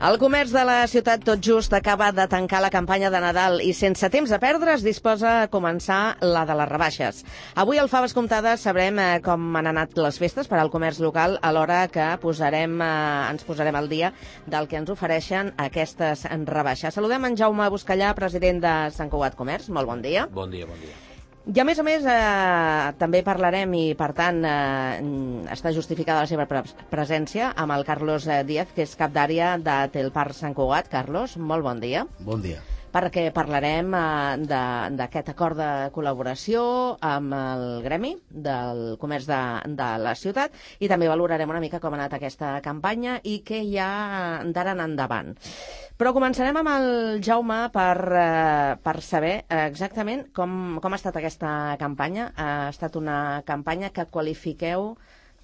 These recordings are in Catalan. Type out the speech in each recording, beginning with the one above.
El comerç de la ciutat tot just acaba de tancar la campanya de Nadal i sense temps a perdre es disposa a començar la de les rebaixes. Avui al Faves Comptades sabrem com han anat les festes per al comerç local, alhora que ens posarem al dia del que ens ofereixen aquestes rebaixes. Saludem en Jaume Buscallà, president de Sant Cugat Comerç. Molt bon dia. Bon dia, bon dia. I a més, també parlarem, i per tant està justificada la seva presència, amb el Carlos Díaz, que és cap d'àrea de Telparc Sant Cugat. Carlos, molt bon dia. Bon dia. Perquè parlarem d'aquest acord de col·laboració amb el Gremi del Comerç de la ciutat i també valorarem una mica com ha anat aquesta campanya i què hi ha d'ara en endavant. Però començarem amb el Jaume per saber exactament com ha estat aquesta campanya. Ha estat una campanya que qualifiqueu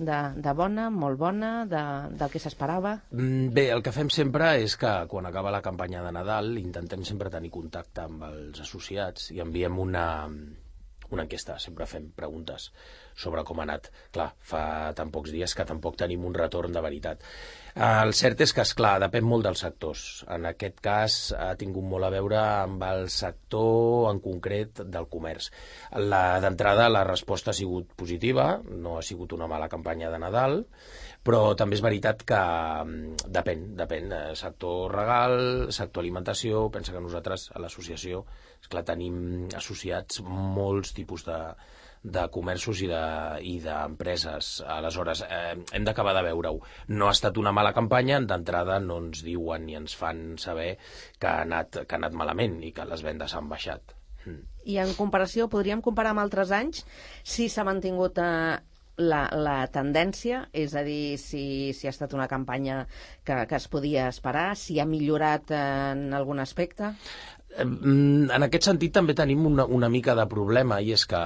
de bona, molt bona, del que s'esperava? Bé, el que fem sempre és que quan acaba la campanya de Nadal intentem sempre tenir contacte amb els associats i enviem una enquesta, sempre fem preguntes sobre com ha anat. Clar, fa tan pocs dies que tampoc tenim un retorn de veritat. El cert és que, esclar, depèn molt dels sectors. En aquest cas ha tingut molt a veure amb el sector en concret del comerç. D'entrada la resposta ha sigut positiva, no ha sigut una mala campanya de Nadal, però també és veritat que depèn. Sector regal, sector alimentació, pensa que nosaltres a l'associació, esclar, tenim associats molts tipus de comerços i d'empreses. Aleshores, hem d'acabar de veure-ho. No ha estat una mala campanya, d'entrada no ens diuen ni ens fan saber que ha anat malament i que les vendes han baixat. I en comparació, podríem comparar amb altres anys si s'ha mantingut la tendència, és a dir, si ha estat una campanya que es podia esperar, si ha millorat en algun aspecte? En aquest sentit també tenim una mica de problema, i és que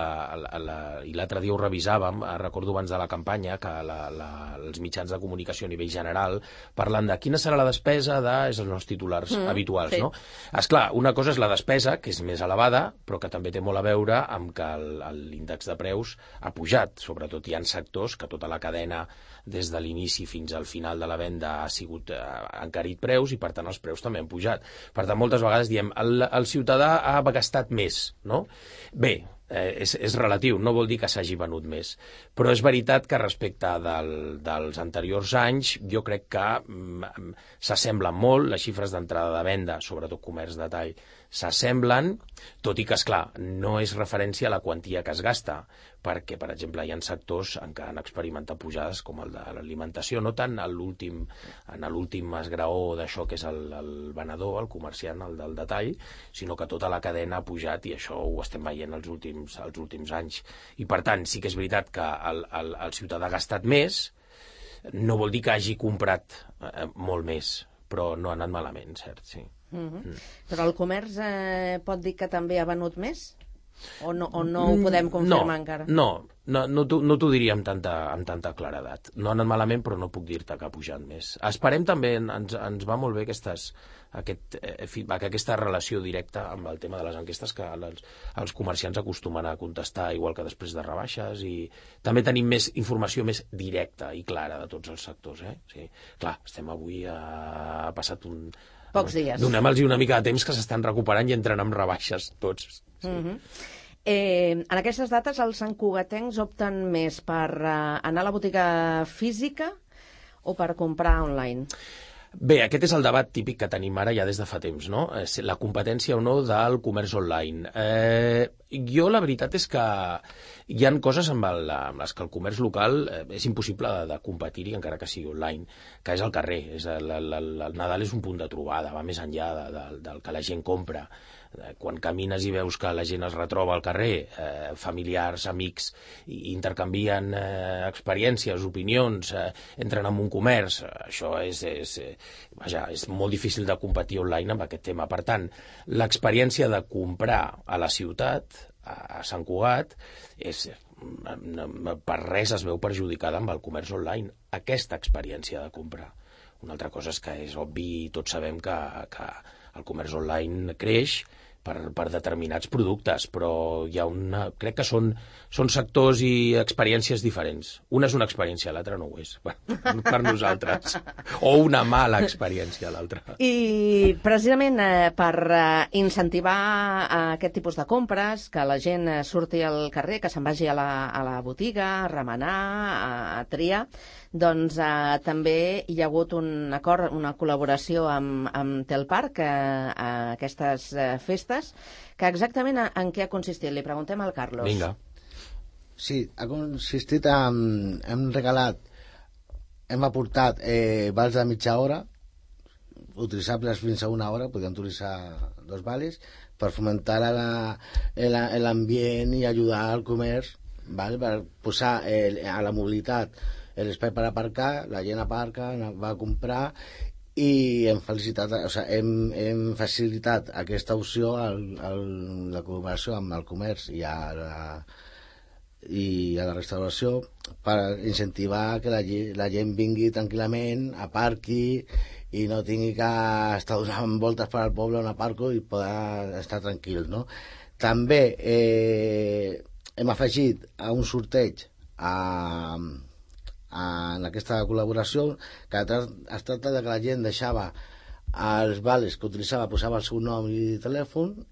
i l'altre dia ho revisàvem, recordo abans de la campanya que els mitjans de comunicació a nivell general parlen de quina serà la despesa és els nostres titulars habituals, sí. No? Esclar, una cosa és la despesa, que és més elevada, però que també té molt a veure amb que l'índex de preus ha pujat. Sobretot hi ha sectors que tota la cadena, des de l'inici fins al final de la venda, ha encarit preus i per tant els preus també han pujat. Per tant, moltes vegades diem el ciutadà ha gastat més, no? Bé, és relatiu, no vol dir que s'hagi venut més, però és veritat que respecte dels anteriors anys jo crec que s'assemblen molt, les xifres d'entrada de venda, sobretot comerç de tall, s'assemblen, tot i que, esclar, no és referència a la quantia que es gasta, perquè, per exemple, hi ha sectors en què han experimentat pujades com el de l'alimentació, no tant en l'últim esgraó d'això que és el venedor, el comerciant, el del detall, sinó que tota la cadena ha pujat i això ho estem veient els últims anys. I, per tant, sí que és veritat que el ciutadà ha gastat més, no vol dir que hagi comprat molt més, però no ha anat malament, cert, sí. Però el comerç pot dir que també ha venut més? O no ho podem confirmar encara? No t'ho diria amb tanta claredat. No ha anat malament, però no puc dir-te que ha pujat més. Esperem també, ens va molt bé aquesta relació directa amb el tema de les enquestes, que els comerciants acostumen a contestar igual que després de rebaixes, i també tenim més informació més directa i clara de tots els sectors. Sí. Clar, estem avui ha passat pocs dies. Donem-los una mica de temps que s'estan recuperant i entren amb rebaixes tots. Sí. En aquestes dates els santcugatencs opten més per anar a la botiga física o per comprar online? Bé, aquest és el debat típic que tenim ara ja des de fa temps, no? La competència o no del comerç online. Jo la veritat és que hi ha coses amb les que el comerç local és impossible de competir-hi encara que sigui online, que és el carrer. El Nadal és un punt de trobada, va més enllà del que la gent compra. Quan camines i veus que la gent es retroba al carrer, familiars, amics, intercanvien experiències, opinions, entren en un comerç, això és molt difícil de competir online amb aquest tema. Per tant, l'experiència de comprar a la ciutat, a Sant Cugat, per res es veu perjudicada amb el comerç online, aquesta experiència de comprar. Una altra cosa és que és obvi i tots sabem que el comerç online creix per determinats productes, però hi ha crec que són sectors i experiències diferents. Una és una experiència, l'altra no ho és, per nosaltres. O una mala experiència, l'altra. I precisament per incentivar aquest tipus de compres, que la gent surti al carrer, que se'n vagi a la botiga, a remenar, a triar, doncs també hi ha hagut un acord, una col·laboració amb Telparc a aquestes festes, que exactament en què ha consistit? Li preguntem al Carlos. Vinga. Sí, ha consistit hem aportat vals de mitja hora, utilitzables fins a una hora, podíem utilitzar 2 vales, per fomentar l'ambient i ajudar al comerç, ¿vale? Per posar a la mobilitat l'espai per aparcar, la gent aparca, va a comprar, i hem facilitat aquesta opció a la col·laboració amb el comerç i a la restauració per incentivar que la gent vingui tranquil·lament, aparqui i no tingui que estar donant voltes per al poble on aparco i poder estar tranquil, no? També hem afegit a un sorteig en aquesta col·laboració que es tracta de que la gent deixava els vales que utilitzava, posava el seu nom i telèfon,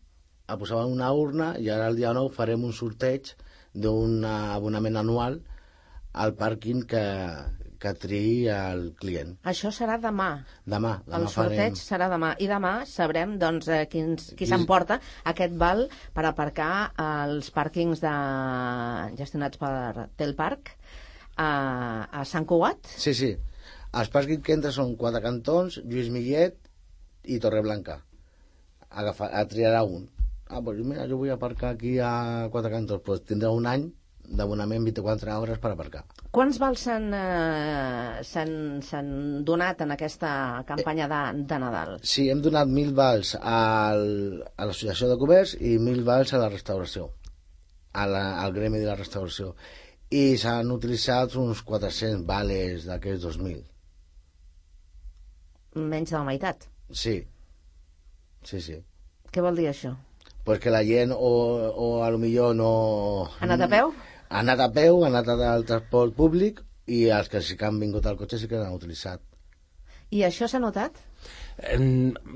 el posava en una urna, i ara el dia 9 farem un sorteig d'un abonament anual al pàrquing que triï el client. Això serà demà. Demà el sorteig serà demà. I demà sabrem doncs, qui s'emporta aquest val per aparcar als pàrquings gestionats per Telparc a Sant Cugat? Sí. Els pàrquings que entren són Quatre Cantons, Lluís Millet i Torreblanca. Triarà un. Doncs mira, jo vull aparcar aquí a Quatre Cantons. Doncs tindrà un any d'abonament 24 hores per aparcar. Quants vals s'han donat en aquesta campanya de Nadal? Sí, hem donat 1.000 vals a l'Associació de Comerç i 1.000 vals a la restauració, al gremi de la restauració. I s'han utilitzat uns 400 vales d'aquests 2.000. Menys de la meitat? Sí. Què vol dir això? Pues que la gent o a lo millor no... Ha anat a peu? Ha anat a peu, ha anat al transport públic, i els que sí que han vingut al cotxe sí que l'han utilitzat. I això s'ha notat?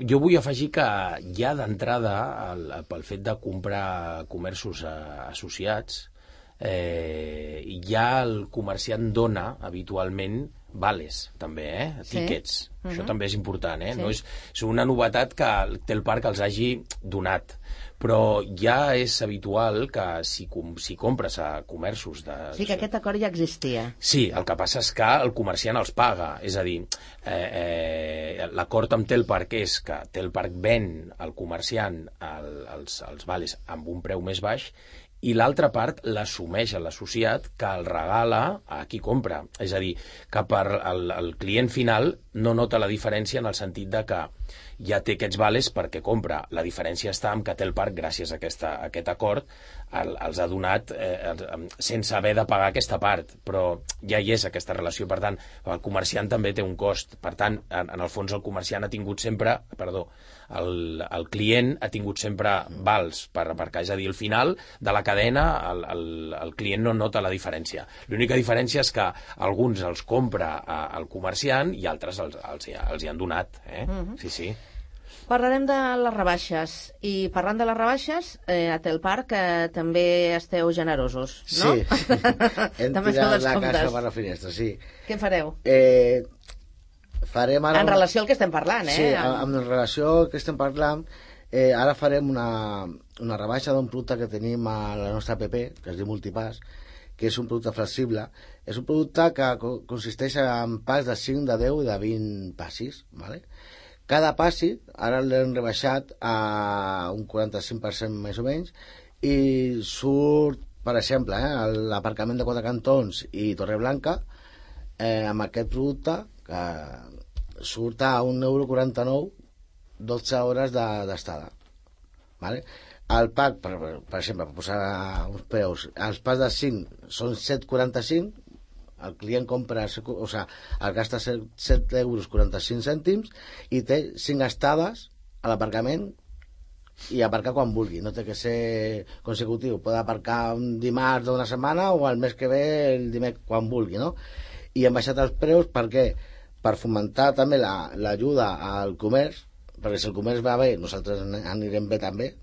Jo vull afegir que ja d'entrada, pel fet de comprar comerços associats, ja el comerciant dona habitualment vales, també, tíquets. Això també és important, Sí. No és una novetat que Telparc els hagi donat, però ja és habitual que si compres a comerços de... Sí, que aquest acord ja existia. Sí, el que passa és que el comerciant els paga, és a dir, l'acord amb Telparc és que Telparc ven al comerciant els vales amb un preu més baix, i l'altra part l'assumeix a l'associat, que el regala a qui compra. És a dir, que per el client final no nota la diferència en el sentit de que ja té aquests vales perquè compra. La diferència està en que Telparc, gràcies a aquest acord, els ha donat sense haver de pagar aquesta part, però ja hi és aquesta relació. Per tant, el comerciant també té un cost. Per tant, en el fons el comerciant ha tingut sempre, el client ha tingut sempre vals per aparcar. És a dir, al final de la cadena el client no nota la diferència. L'única diferència és que alguns els compra al comerciant i altres els hi han donat. Sí. Parlarem de les rebaixes. I parlant de les rebaixes, a Telparc també esteu generosos, no? Sí. Hem tirat la casa per la finestra, sí. Què fareu? Farem ara... En relació al que estem parlant, Sí, en relació al que estem parlant, ara farem una rebaixa d'un producte que tenim a la nostra app, que es diu Multipass, que és un producte flexible. És un producte que consisteix en pas de 5, de 10 i de 20 passis, ¿vale? Cada passi, ara l'hem rebaixat a un 45% més o menys, i surt, per exemple, l'aparcament de Quatre Cantons i Torreblanca, amb aquest producte, que surt a €1,49, 12 hores d'estada. ¿Vale? El pack, per exemple, per posar uns preus, els packs de 5 són 7,45, El client compra, o sea, el gasta 7 euros 45 cèntims i té 5 estades a l'aparcament i aparcar quan vulgui, no té que ser consecutiu, pot aparcar un dimarts d'una setmana o el mes que ve el dimecres quan vulgui, no? I hem baixat els preus perquè per fomentar també l'ajuda al comerç, perquè si el comerç va bé nosaltres anirem bé també,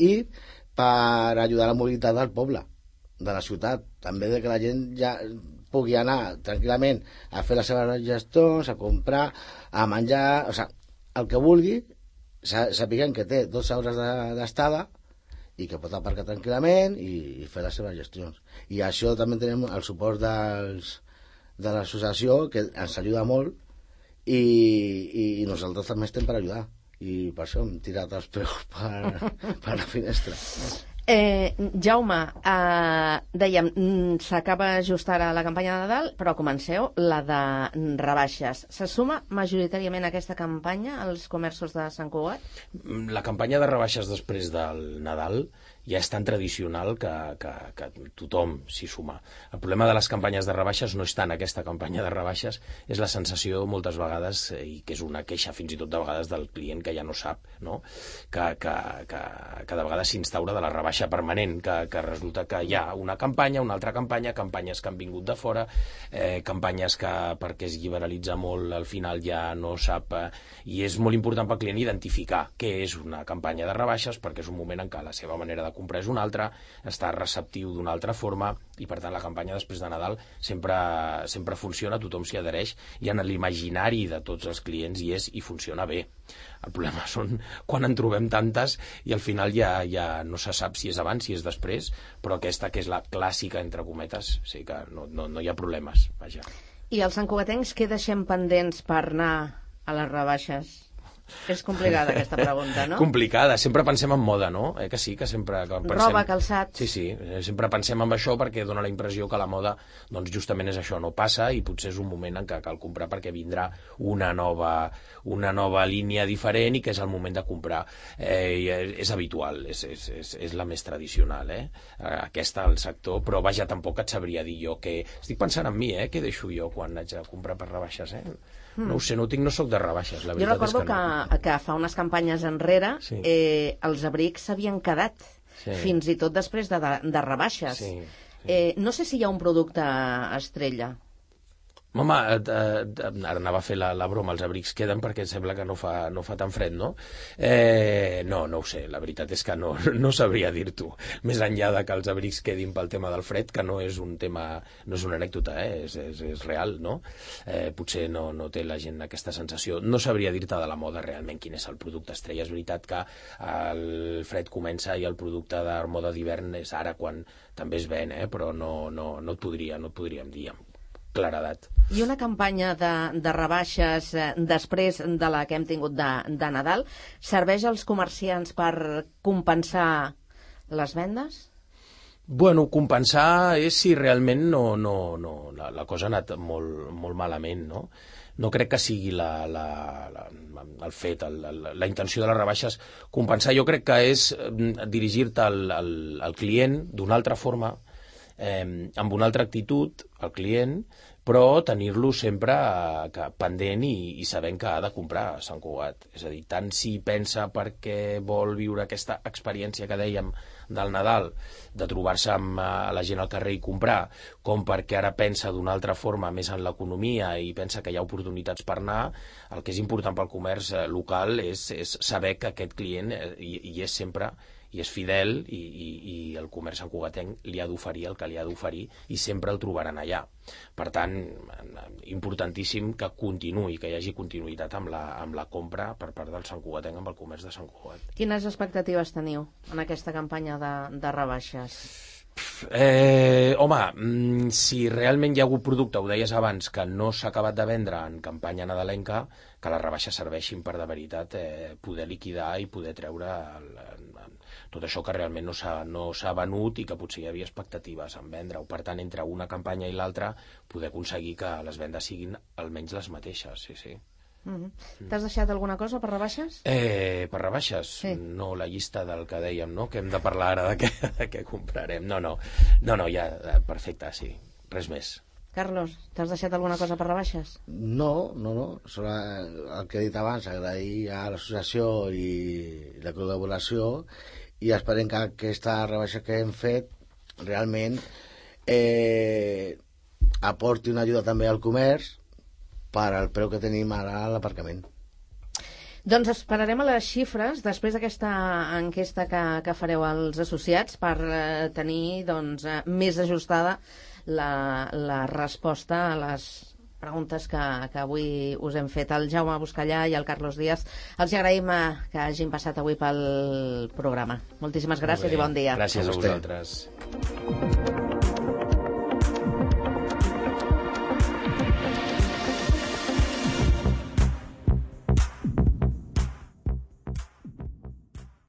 i per ajudar a la mobilitat del poble, de la ciutat, també de que la gent ja pugui anar tranquil·lament a fer les seves gestions, a comprar, a menjar, o sigui, el que vulgui, sapiguem que té 12 hores d'estada i que pot aparcar tranquil·lament i fer les seves gestions. I això també tenim el suport de l'associació, que ens ajuda molt, i nosaltres també estem per ajudar. I per això hem tirat els preus per la finestra. Jaume, dèiem, s'acaba just ara la campanya de Nadal, però comenceu la de rebaixes. Se suma majoritàriament a aquesta campanya als comerços de Sant Cugat? La campanya de rebaixes després del Nadal ja és tan tradicional que tothom s'hi suma. El problema de les campanyes de rebaixes no és tant aquesta campanya de rebaixes, és la sensació moltes vegades, i que és una queixa fins i tot de vegades del client que ja no sap, no? que de vegades s'instaura de la rebaixa permanent, que resulta que hi ha una campanya, una altra campanya, campanyes que han vingut de fora, campanyes que perquè es liberalitza molt al final ja no sap, i és molt important pel client identificar què és una campanya de rebaixes, perquè és un moment en què la seva manera de comprar és una altra, està receptiu d'una altra forma, i per tant la campanya després de Nadal sempre funciona, tothom s'hi adhereix, i en l'imaginari de tots els clients hi és i funciona bé. El problema són quan en trobem tantes i al final ja no se sap si és abans, si és després, però aquesta que és la clàssica, entre cometes, sí que no hi ha problemes, vaja. I els santcugatencs què deixem pendents per anar a les rebaixes? És complicada aquesta pregunta, no? Complicada, sempre pensem en moda, no? Que sí, que sempre pensem... Roba, calçat... Sí, sempre pensem en això perquè dona la impressió que la moda, doncs justament és això, no passa, i potser és un moment en què cal comprar perquè vindrà una nova línia diferent i que és el moment de comprar. És habitual, és la més tradicional, aquesta al sector, però vaja, tampoc et sabria dir jo que... Estic pensant en mi, què deixo jo quan haig de comprar per rebaixes, No ho sé, no soc de rebaixes, la veritat és que no. Jo recordo que fa unes campanyes enrere els abrics s'havien quedat, fins i tot després de rebaixes. No sé si hi ha un producte estrella. Home, ara anava a fer la broma, els abrics queden perquè sembla que no fa tan fred, no? No ho sé, la veritat és que no sabria dir-t'ho. Més enllà de que els abrics quedin pel tema del fred, que no és un tema, no és una anècdota, és real, no? Potser no té la gent aquesta sensació. No sabria dir-te de la moda realment quin és el producte estrella. És veritat que el fred comença i el producte de moda d'hivern és ara quan també es ven, però no et podríem dir amb claredat. I una campanya de rebaixes després de la que hem tingut de Nadal serveix als comerciants per compensar les vendes? Bueno, compensar és si realment la cosa ha anat molt malament, no? No crec que sigui el fet, la intenció de les rebaixes compensar. Jo crec que és dirigir-te al client d'una altra forma, amb una altra actitud al client, però tenir-lo sempre pendent i sabent que ha de comprar a Sant Cugat. És a dir, tant si pensa perquè vol viure aquesta experiència que dèiem del Nadal, de trobar-se amb la gent al carrer i comprar, com perquè ara pensa d'una altra forma més en l'economia i pensa que hi ha oportunitats per anar, el que és important pel comerç local és saber que aquest client hi és sempre i és fidel i el comerç santcugatenc li ha d'oferir el que li ha d'oferir i sempre el trobaran allà. Per tant, importantíssim que continuï, que hi hagi continuïtat amb la compra per part del santcugatenc amb el comerç de Sant Cugat. Quines expectatives teniu en aquesta campanya de rebaixes? Home, si realment hi ha hagut producte, ho deies abans, que no s'ha acabat de vendre en campanya nadalenca, que les rebaixes serveixin per de veritat poder liquidar i poder treure tot això que realment no s'ha venut i que potser hi havia expectatives en vendre-ho. Per tant, entre una campanya i l'altra, poder aconseguir que les vendes siguin almenys les mateixes, sí. T'has deixat alguna cosa per rebaixes? Per rebaixes? Sí. No, la llista del que dèiem, no? Que hem de parlar ara de què comprarem. No, ja, perfecte, sí. Res més. Carlos, t'has deixat alguna cosa per rebaixes? No. Sobre el que he dit abans, agrair a l'associació i la col·laboració, i esperem que aquesta rebaixa que hem fet realment aporti una ajuda també al comerç per al preu que tenim ara a l'aparcament. Doncs esperarem a les xifres després d'aquesta enquesta que fareu als associats per tenir més ajustada la resposta a les preguntes que avui us hem fet. El Jaume Buscallà i el Carlos Díaz, els agraïm que hagin passat avui pel programa. Moltíssimes gràcies i bon dia. Gràcies a vosaltres.